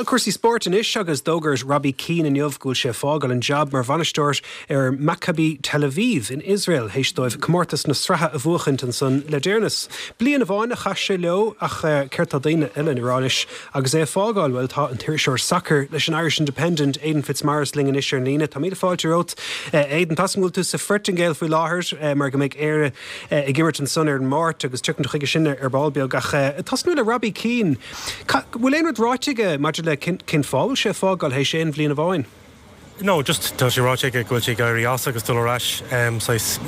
Cúrsaí spóirt anois agus d'fhógair Robbie Keane inniu go bhfuil sé ag fágáil an jab mar bhainisteoir ar Maccabi Tel Aviv in Iosrael théis dóibh comórtas na sraithe a bhuachaint ansan le deireanas. Bliain amháin a chaith sé leo ach céard tá daoine eile ina rá anois agus é ag fágáil? Bhuel tá an t-iriseoir sacair leis an Irish Independent, Aidan Fitzmaurice linn anois ar an líne. Tá míle fáilte romhat Aidan. Tá a fhios agam go bhfuil tú sa Phortaingéil faoi láthair mar go mbeidh Éire ag imirt ansan ar an Máirt agus tiocfaimid chuige sin ar ball beag ach tosnú le Robbie Keane. Bhfuil aon rud ráite aige maidir le cén fáth a bhfuil sé ag fágáil théis aon bhliain amháin? No, just tá sé ráite aige go bhfuil sé ag éirí as agus dul ar ais saghas,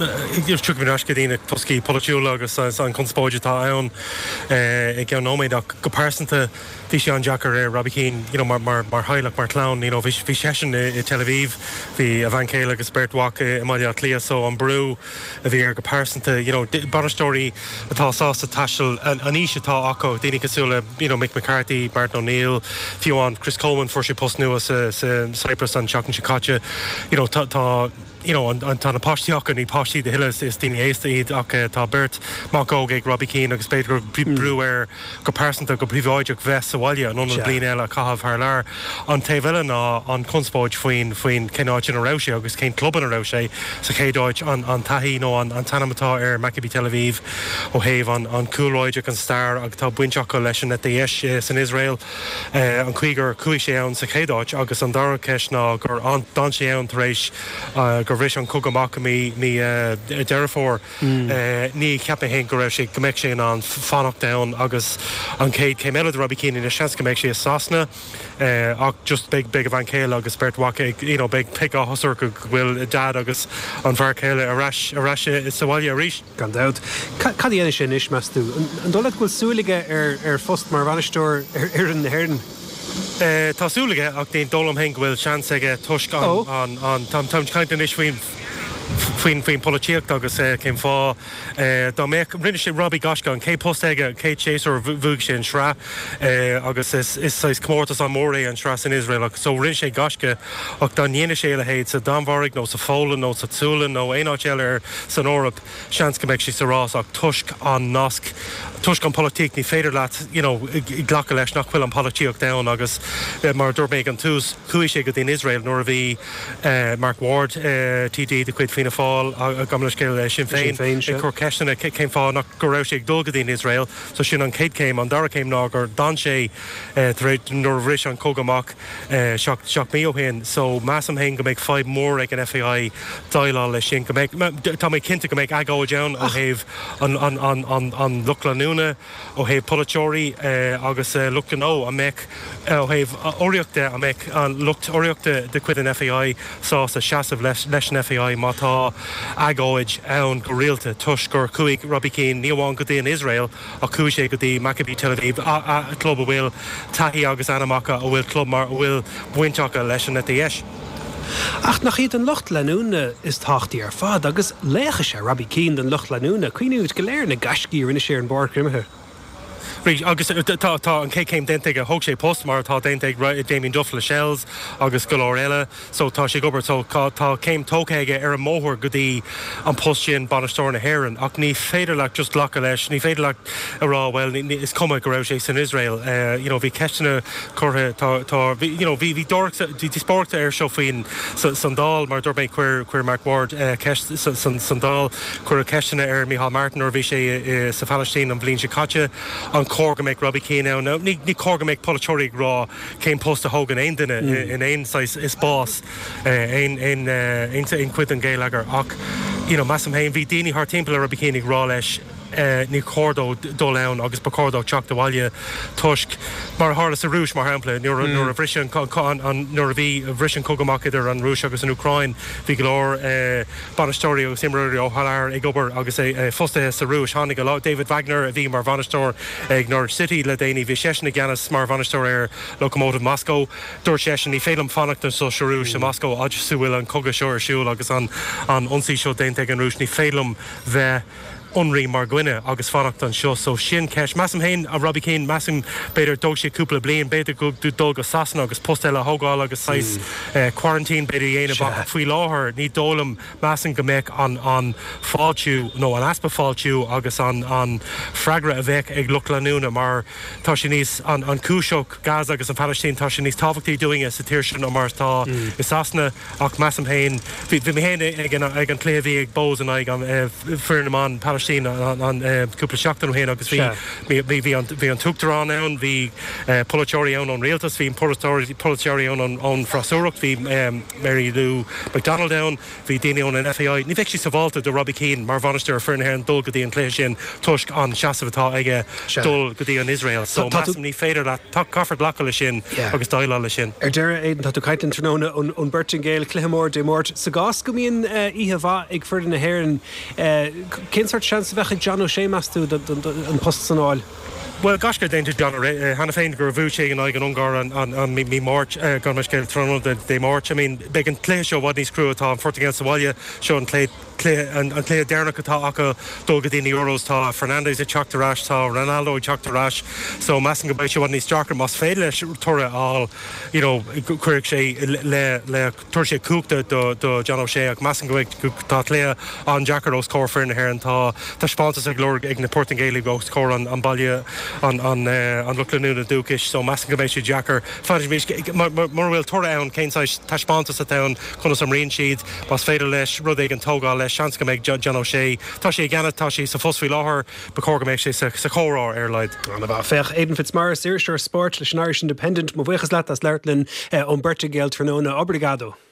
tiocfaimid ar ais go dtí na toscaí polaitiúla agus an chonspóid atá ann i gceann nóiméad ach go pearsanta bhí sé an-deacair ar Robbie Keane you know mar mar mar theaghlach, mar chlann you know bhí bhí seisean i Tel Aviv, bhí a bhean chéile agus beirt mhac i mBaile Átha Cliath so an brú a bhí air go pearsanta, you know, bainisteoirí atá sásta taisteal an aois atá acu, daoine cosúil le, you know, Mick McCarthy, Martin O'Neill, fiú amháin Chris Coleman, fuair sé post nua sa, sa Cyprus an tseachtain seo caite, you know, tá, tá, you know, an, an, tá na páistí acu, ní páistí a thuilleadh, is, is daoine aosta iad ach tá beirt mhac óg ag Robbie Keane agus b'fhéidir go raibh brú air go pearsanta, go príobháideach bheith sa bhaile in ionad bliain eile a chaitheamh thar lear. An taobh eile ná an chonspóid faoin faoin cén áit ina raibh sé agus cén club ina raibh sé. Sa chéad áit, an an taithí nó an an t-ainm atá ar Maccabi Tel Aviv ó thaobh an an chúlráid agus an stair agus tá baint acu leis an eite dheis san Iosrael, an chaoi gur chuaigh sé ann sa chéad áit agus an dara ceist ná gur d'fhan sé ann tar éis gur bhris an cogadh amach i mí mí Deireadh Fómhair. Ní cheap mé féin go raibh sé, go mbeadh sé in ann fanacht ann agus an chéad chéim eile do Robbie Keane anois, seans go mbeidh sé i Sasana ach just beidh, beidh a bhean chéile agus beirt mhac ag, you know, beidh, beidh áthas orthu go bhfuil Dad agus an fear céile ar ais, ar ais sa bhaile arís. Gan dabht. Cad a dhéanfaidh sé anois, meas tú? An dóigh leat go bhfuil súil aige ar, ar phost mar bhainisteoir ar fhoireann na hÉireann? Tá súil aige ach ní dóigh liom féin go bhfuil seans aige toisc an, an, an, táim ag caint anois faoin, faoin faoin pholaitíocht agus cén fáth dá mbeadh, rinne sé Robbie gaisce, an chéad post aige, an chéad séasúr bhuaigh sé an sraith agus is is saghas comórtas an-mhór é an sraith san Iosrael ach so rinne sé gaisce ach dá ndéanadh sé a leithéid sa Danmhairg nó sa Pholainn nó sa tSualainn nó aon áit eile ar san Eoraip seans go mbeadh sé sa rás ach toisc an nasc, toisc an pholaitíocht ní féidir leat you know glacadh leis nach bhfuil an pholaitíocht ann agus mar a dúirt mé ag an tús chuaigh sé go dtí an Iosrael nuair a bhí Mark Ward, TD de chuid Fianna Fáil, gabh mo leithscéal, Sinn Féin, ag cur ceisteanna cén fáth nach go raibh sé ag dul go dtí an Iosrael. So sin an chéad chéim. An dara céim ná gur d'fhan sé tar éis nuair a bhris an cogadh amach 7 mí ó shin. So measaim féin go mbeidh fadhb mhór ag an FAI déileáil leis sin. Go mbeidh, tá mé cinnte go mbeidh agóid ann ó thaobh an lucht leanúna, Ó thaobh polaiteoirí agus lucht gnó, an mbeadh, ó thaobh urraíocht de, an mbeadh an lucht urraíochta de chuid an FAI sásta seasamh leis an FAI má tá agóid ann go rialta toisc gur chuaigh Robbie Keane ní amháin go dtí an Iosrael ach chuaigh sé go dtí Maccabi Tel Aviv, club a bhfuil taithí agus ainm acu, a bhfuil club mar a bhfuil baint acu leis an eite dheis. Ach nach iad an lucht leanúna is tábhachtaí ar fad, agus laoch is ea Robbie Keane don lucht leanúna. Cuimhnímid go léir ar na gaiscí a rinne sé ar an bpáirc imeartha. Right, agus tá tá an chéad chéim déanta aige, thóg sé post mar atá déanta ag Damien Duff le Shels agus go leor eile, so tá sé ag obair, so tá tá céim tógtha aige ar an mbóthar go dtí an post sin, bainisteoir na hÉireann, ach ní féidir leat just glacadh leis, ní féidir leat a rá bhuel is cuma go raibh sé san Iosrael, you know bhí ceisteanna curtha, tá, tá, bhí, you know, bhí, bhí dóireacht, bhí díospóireacht air seo faoin, sa, san Dáil, mar a dúirt mé, chuir, chuir Mark Ward ceist sa, san, san Dáil, cuireadh ceisteanna ar Micheál Martin nuair a bhí sé i, sa Phalaistín an bhliain seo caite, an cóir go mbeadh Robbie Keane ann? Now, ní, ní cóir go mbeadh polaiteoirí ag rá cén post a thógann aon duine in aon saghas spás, aon, aon, aon, aon chuid den gheilleagar ach, you know, measaim féin, bhí daoine thart timpeall ar Robbie Keane ag rá leis, ní chóir dó dul ann agus ba chóir dó teacht abhaile toisc, mar a tharla sa Rúis, mar shampla, nuair nuair a bhris an nuair a bhí bhris an cogadh amach idir an Rúis agus an Úcráin, bhí go leor bainisteoirí agus imreoirí ó thar lear ag obair agus fostaithe sa Rúis. Tháinig a David Wagner a bhí mar bhainisteoir ag Norwich City le déanaí, bhí seisean i gceannas mar bhainisteoir ar Lokomotiv Moscow. Dúirt seisean, ní féidir liom fanacht anseo sa Rúis, i Moscow, fhad is a bhfuil an cogadh seo ar siúl agus an ionsaí seo déanta ag an Rúis, ní féidir liom bheith. ionraí mar dhuine agus fanacht anseo. So sin ceist. Measaim féin, Robbie Keane, measaim b'fhéidir dtóg sé cúpla bliain, b'fhéidir go dul go Sasana agus post eile a thógáil agus saghas quarantine b'fhéidir a dhéanamh ach faoi láthair ní dóigh liom, measaim go mbeadh an an fáiltiú nó an easpa fáiltiú agus an an freagra a bheadh ag lucht leanúna mar tá sé níos an an cúis seo Gaza agus an Phalaistín tá sé níos tábhachtaí dúinne sa tír seo ná mar atá i Sasana. Ach measaim féin, bhí mé féin ag an ag an cluiche a bhí ag Bohs in aghaidh an foireann na mban Palaistín an cúpla seachtain ó shin agus bhí bhí bhí an bhí an tUachtarán ann, bhí polaiteoirí ann ón rialtas, bhí polaiteoirí polaiteoirí ann ón freasúracht, bhí Mary Lou McDonald ann, bhí daoine ón an FAI. Ní bheadh sé sábháilte do Robbie Keane mar bhainisteoir ar foireann na hÉireann dul go dtí an cluiche sin toisc an seasamh atá aige dul go dtí an Iosrael. So measaim ní féidir leat Tá, caithfear glacadh leis sin agus déileáil leis sin. Ar deireadh, Aidan, tá tú ag caint linn tráthnóna ón bPortaingéil, cluiche mór Dé Máirt. Sa gcás go mbíonn oíche mhaith ag foireann na hÉireann, cén sórt seans a bheadh ag John O'Shea, meas tú, an post san a fháil? Bhuel, gaisce déanta John cheana féin gur bhuaigh sé in aghaidh an Ungáir an mí Máirt, gabh mo leithscéal, tráthnóna Dé Máirt. I mean, beidh an cluiche seo i bhfad níos crua, tá an Phortaingéil sa bhaile, seo an cluiche, cluiche, an cluiche deireanach atá acu dul go dtí na Euros. Tá Fernandes ag teacht ar ais, tá Ronaldo ag teacht ar ais so measaim go mbeidh sé i bhfad níos deacra más féidir leis toradh a fháil you know cuirfidh sé le, le, tabharfaidh sé cumhacht do, do John O'Shea ach measaim go mbeidh, tá cluiche an-deacair os comhair foireann na hÉireann. Tá taispeántas ag lorg ag na Portaingéalaigh os comhair an, an baile, an, an, an lucht leanúna dúchais so measaim go mbeidh sé deacair. Fanfaimid, mura bhfuil toradh ann cén saghas taispeántas atá ann, conas a imríonn siad. Más féidir leis rud éigin tógáil leis, seans go mbeidh John O'Shea, tá sé i gceannas, tá sé sa phost faoi láthair, ba chóir go mbeadh sé sa chomhrá ar a laghad. An-mhaith. Féach, Aidan Fitzmaurice, iriseoir spóirt leis an Irish Independent, mo bhuíochas leat as labhairt linn ón bPortaingéil tráthnóna. Obrigado.